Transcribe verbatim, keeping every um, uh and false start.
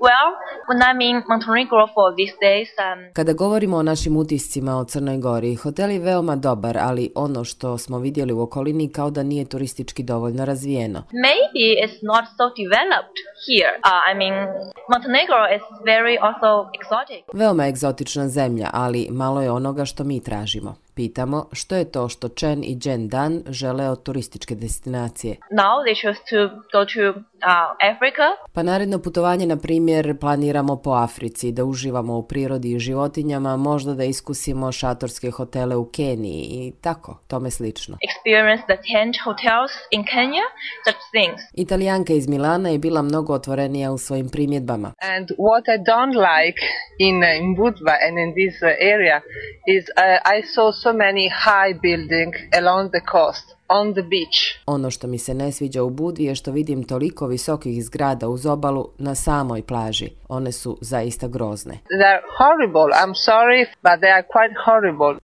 Well, when I'm in Montenegro for these days, um... Kada govorimo o našim utiscima o Crnoj Gori, hotel je veoma dobar, ali ono što smo vidjeli u okolini kao da nije turistički dovoljno razvijeno. Maybe it's not so developed here. Uh, I mean, Montenegro is very also exotic. Veoma egzotična zemlja, ali malo je onoga što mi tražimo. Pitamo što je to što Chen i Jen Dan žele od turističke destinacije. Now they choose to go to uh, Africa. Pa naredno putovanje, na primjer, planiramo po Africi, da uživamo u prirodi i životinjama, možda da iskusimo šatorske hotele u Keniji i tako, tome slično. Experience the tent hotels in Kenya, such things. Italijanka iz Milana je bila mnogo otvorenija u svojim primjedbama. And what I don't like in, in Budva and in this area is uh, I saw so many high buildings along the coast, on the beach. Ono što mi se ne sviđa u Budvi je što vidim toliko visokih zgrada uz obalu na samoj plaži. One su zaista grozne. They're horrible. I'm sorry, but they are quite horrible.